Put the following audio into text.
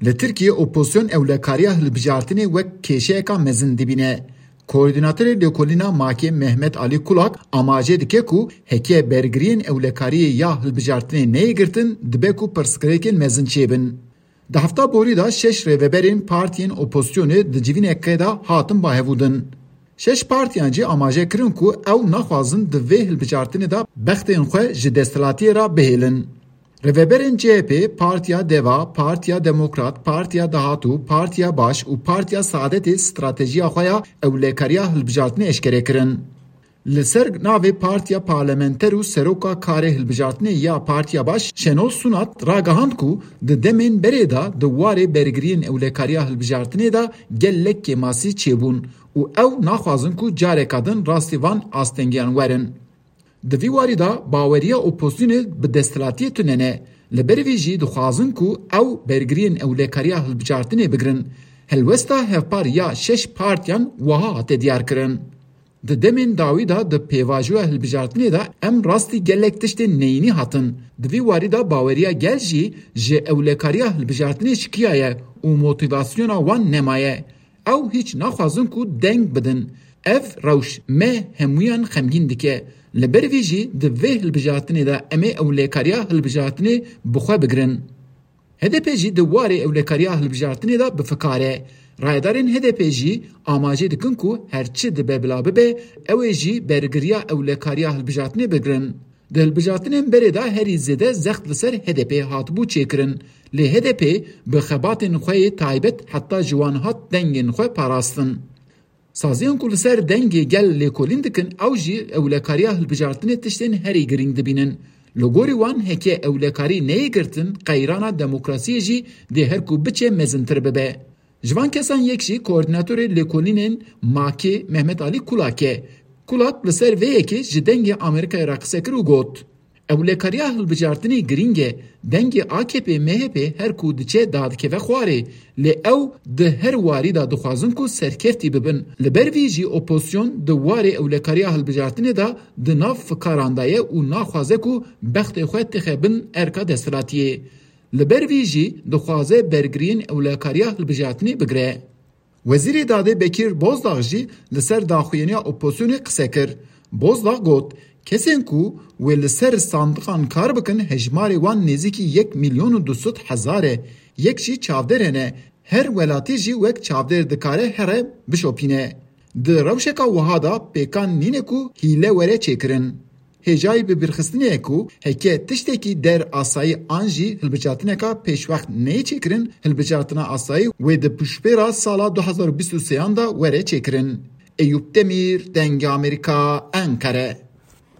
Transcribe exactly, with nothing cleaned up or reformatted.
Li Tirkiyê opozisyon ewlekariya hilbijartinê wek kêşeyeka mezin dibîne. Koordînatorê Lêkolîna Makê Mehmet Alî Kulak amaje dike ku heke bergiriyên ewlekariyê ya hilbijartinê neyê girtin, dibe ku pirsgirêkên mezin çêbin. Di hefta borî de şeş rêveberên partiyên opozisyonê di civîneke de hatin bahevûdin. Şeş partiyan jî amaje kirin ku ew naxwazin di vê hilbijartinê de bextên xwe ji desthilatiyê re bihêlin. Rêveberên C H P, Partiya Deva, Partiya Demokrat, Partiya Dahat û Partiya Baş û Partiya Saadetê stratejiya xwe ya ewlekariya hilbijartinê eşkere kirin. Li ser navê Partiya Parlamenter û Seroka Karê Hilbijartinê ya Partiya Baş Şenol Sunat ragihand ku di demên berê de di warê bergiriyên ewlekariya hilbijartinê de gelek kêmasî çêbûn û ew naxwazin ku careka din rastî van astengiyan werin. Di vî warî de baweriya opozisyonê bi desthilatiyê tune ne. Li ber vî jî dixwazin ku ew bergiriyên ewlekariya hilbijartinê bigirin. Helwesta hevpar ya şeş partiyan wiha hate diyarkirin. Di demên dawî de di pêvajoya hilbijartinê de em rastî gelek tiştên neyînî hatin. Di vî warî de baweriya gel jî ji ewlekariya hilbijartinê şikiyaye û motîvasyona wan nemaye. Ew hîç naxwazin ku deng bidin. Ev rewş me hemûyan xemgîn dike. Li ber vî jî di vê hilbijartinê de em ê ewlekariya hilbijartinê bi xwe bigirin. H D P jî di warê ewlekariya hilbijartinê de bi fikar e. Rayedarên H D P jî amajê dikin ku her çi dibe bila bibe, ew ê jî bergiriya ewlekariya hilbijartinê bigirin. Di hilbijartinên berê de herî zêde zext li ser H D P hatibû çêkirin. Lê H D P bi xebatên xwe yê taybet heta ji wan hat dengên xwe parastin. Saziyên ku li ser dengê gel lêkolîn dikin, ew jî ewlekariya hilbijartinê tiştên herî girîng dibînin. Li gorî wan, heke ewlekarî neyê girtin, qeyrana demokrasiyê jî dê her ku biçe mezintir bibe. Ji van kesan yek jî koordînatorê lêkolînên makê Mehmet Alî Kulak e. Kulak li ser vê yekê ji Dengê Amerîkayê re qise kir û got, ewlekariya hilbijartinê girîng e. Dengê A K P M H P her ku diçe dadikeve xwarê. Lê ew di her warî de dixwazin ku serkeftî bibin. Li ber vî jî opozisyon di warê ewlekariya hilbijartinê de di nav fikaran de ye û naxwaze ku bextê xwe tixe bin erka desthilatiyê. Li ber vî jî dixwaze bergiriyên ewlekariya hilbijartinê bigire. Wezîrê Dadê Bekîr Bozdag jî li ser daxuyaniya opozisyonê qise kir. Bozdag got, kesên ku wê li ser sandiqan kar bikin, hejmarê wan nêzîkî yek milyon û du sed hezar e. Yek jî çavdêr hene. Her welatî jî wek çavdêr dikare here bişopîne. Di rewşeka wiha de pêkan nîne ku hîle were çêkirin. Hêjayî bibîrxistinê ye ku heke tiştekî der asayî an jî hilbijartineka pêşwext neyê çêkirin, hilbijartina asayî wê di piştpêra sala du hazar û bîst û sêyan de were çêkirin. Eyûp Demîr, Dengê Amerîka, Enqere.